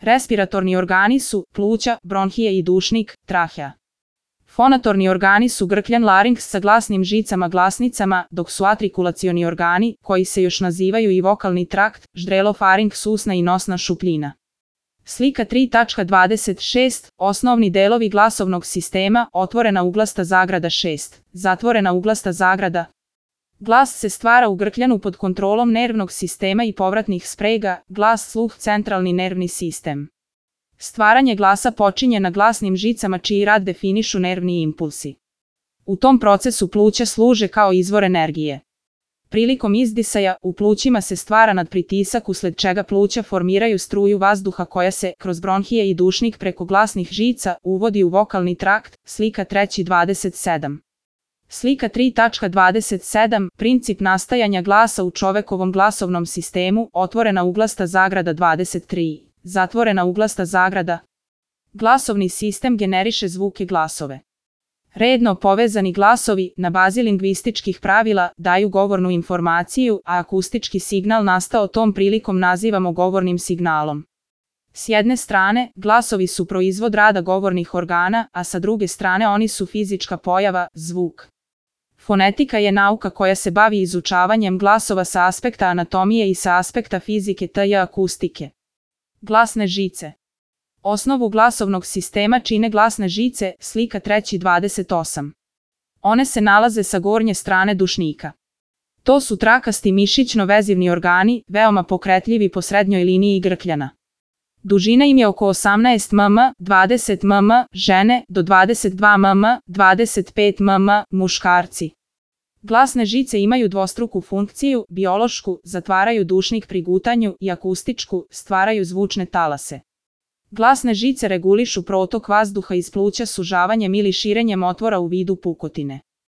Respiratorni organi su pluća, bronhije i dušnik, trahea. Fonatorni organi su grkljan larinks sa glasnim žicama glasnicama, dok su artikulacioni organi, koji se još nazivaju i vokalni trakt, ždrelo-farinks, usna i nosna šupljina. Slika 3.26. Osnovni delovi glasovnog sistema, otvorena uglasta zagrada 6, zatvorena uglasta zagrada. Glas se stvara u grkljanu pod kontrolom nervnog sistema i povratnih sprega, glas, sluh, centralni nervni sistem. Stvaranje glasa počinje na glasnim žicama čiji rad definišu nervni impulsi. U tom procesu pluća služe kao izvor energije. Prilikom izdisaja, u plućima se stvara nadpritisak usled čega pluća formiraju struju vazduha koja se, kroz bronhije i dušnik preko glasnih žica, uvodi u vokalni trakt, slika 3.27. Slika 3.27. Princip nastajanja glasa u čovekovom glasovnom sistemu, otvorena uglasta zagrada 23, zatvorena uglasta zagrada. Glasovni sistem generiše zvuke glasove. Redno povezani glasovi, na bazi lingvističkih pravila, daju govornu informaciju, a akustički signal nastao tom prilikom nazivamo govornim signalom. S jedne strane, glasovi su proizvod rada govornih organa, a sa druge strane oni su fizička pojava, zvuk. Fonetika je nauka koja se bavi izučavanjem glasova sa aspekta anatomije i sa aspekta fizike t.j. akustike. Glasne žice. Osnovu glasovnog sistema čine glasne žice, slika 3.28. One se nalaze sa gornje strane dušnika. To su trakasti mišićno-vezivni organi, veoma pokretljivi po srednjoj liniji grkljana. Dužina im je oko 18 mm, 20 mm, žene, do 22 mm, 25 mm, muškarci. Glasne žice imaju dvostruku funkciju, biološku, zatvaraju dušnik pri gutanju, i akustičku, stvaraju zvučne talase. Glasne žice regulišu protok vazduha iz pluća sužavanjem ili širenjem otvora u vidu pukotine.